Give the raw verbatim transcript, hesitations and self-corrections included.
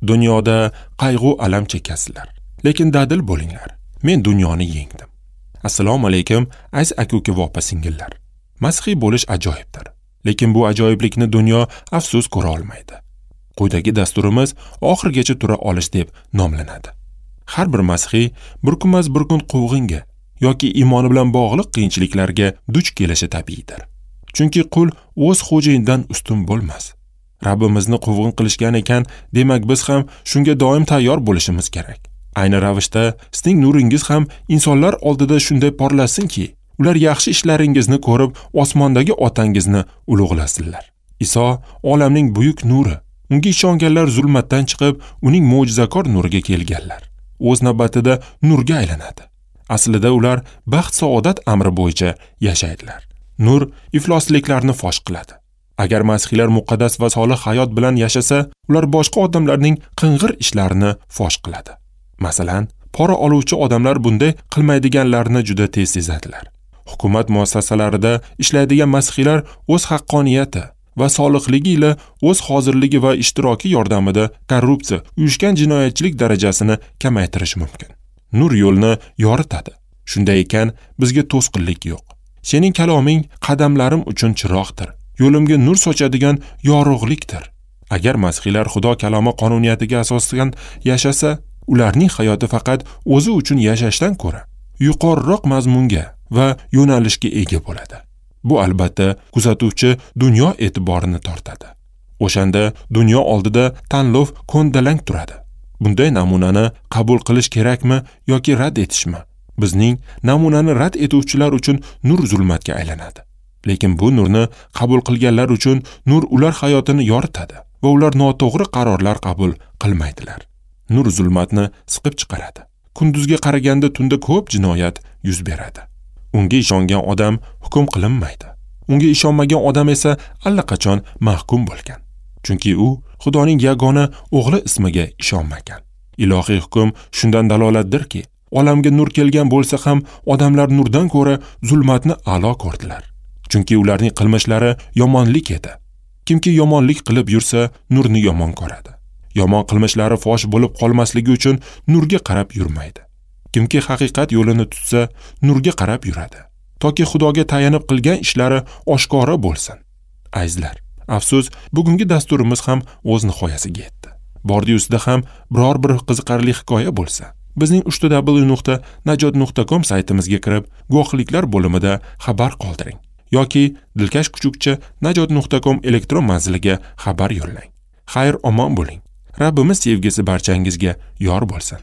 Dunyoda qayg'u alam chekasizlar, lekin dadil bo'linglar. Men dunyoni yengdim. Assalomu alaykum, aziz aka-uka va opa-singillar. Masihiy bo'lish ajoyibdir, lekin bu ajoyiblikni dunyo afsus ko'ra olmaydi. Quyidagi dasturimiz oxirigacha tura olish deb nomlanadi. Har bir masihiy bir kunmas bir kun quvg'inga yoki iymoni bilan bog'liq qiyinchiliklarga duch kelishi tabiiydir. Chunki qul o'z xo'jayinidan ustun bo'lmas. Rabbimizni quvg'in qilishgan ekan, demak biz ham shunga doim tayyor bo'lishimiz kerak. Ayni ravishda sizning nuringiz ham insonlar oldida shunday porlasinki, ular yaxshi ishlaringizni ko'rib, osmondagi otangizni ulug'lasinlar. Iso olamning buyuk nuri. Unga ishonganlar zulmatdan chiqib, uning mo'jizakor nuriga kelganlar. O'z navbatida nurga aylanadi. Aslida ular baxt-saodat amri bo'yicha yashaydilar. Nur iflosliklarni fosh qiladi. Agar masihiylar muqaddas va solih hayot bilan yashasa, ular boshqa odamlarning qing'ir ishlarini fosh qiladi. Masalan, pora oluvchi odamlar bunday qilmaydiganlarni juda tez sezadilar. Hukumat muassasalarida ishlaydigan masihiylar o'z haqqoniyati va solihligi ila o'z hozirligi va ishtiroki yordamida korrupsiya, uyushgan jinoyatchilik darajasini kamaytirish mumkin. Nur yo'lni yoritadi. Shunday ekan, bizga to'sqinlik yo'q. Sening kaloming qadamlarim uchun chiroqdir. Yo'limga nur sochadigan yorug'likdir. Agar masihiylar Xudo kalomi qonuniyatiga asosan yashasa, ularning hayoti faqat o'zi uchun yashashdan ko'ra yuqoriroq mazmunga va yo'nalishga ega bo'ladi. Bu albatta kuzatuvchi dunyo e'tiborini tortadi. O'shanda dunyo oldida tanlov ko'ndalang turadi. Bunday namunani qabul qilish kerakmi yoki rad etishmi? Bizning namunani rad etuvchilar uchun nur zulmatga aylanadi. Lekin bu nurni qabul qilganlar uchun nur ular hayotini yoritadi va ular noto'g'ri qarorlar qabul qilmaydilar. Nur zulmatni siqib chiqaradi. Kunduzga qaraganda tunda ko'p jinoyat yuz beradi. Unga ishongan odam hukm qilinmaydi. Unga ishonmagan odam esa allaqachon mahkum bo'lgan. Chunki u Xudoning yagona o'g'li ismiga ishonmagan. Ilohiy hukm shundan dalolatdirki, olamga nur kelgan bo'lsa ham odamlar nurdan ko'ra zulmatni a'lo ko'rdilar. Chunki ularning qilmishlari yomonlik edi. Kimki yomonlik qilib yursa, nurni yomon ko'radi. Yomon qilmishlari fosh bo'lib qolmasligi uchun nurga qarab yurmaydi. Kimki haqiqat yo'lini tutsa, nurga qarab yuradi. Toki Xudoga tayanib qilgan ishlari oshkora bo'lsin. Azizlar, afsus, bugungi dasturimiz ham o'z nihoyasiga yetdi. Bordi-ustida ham biror bir qiziqarli hikoya bo'lsa, bizning uch w nuqta najot nuqta com saytimizga kirib, guvohliklar bo'limida xabar qoldiring yoki dilkash kuchukcha najot nuqta com elektron manziliga xabar yo'llang. Xayr, omon bo'ling. Rabbimiz sevgisi barchangizga yor bo'lsin.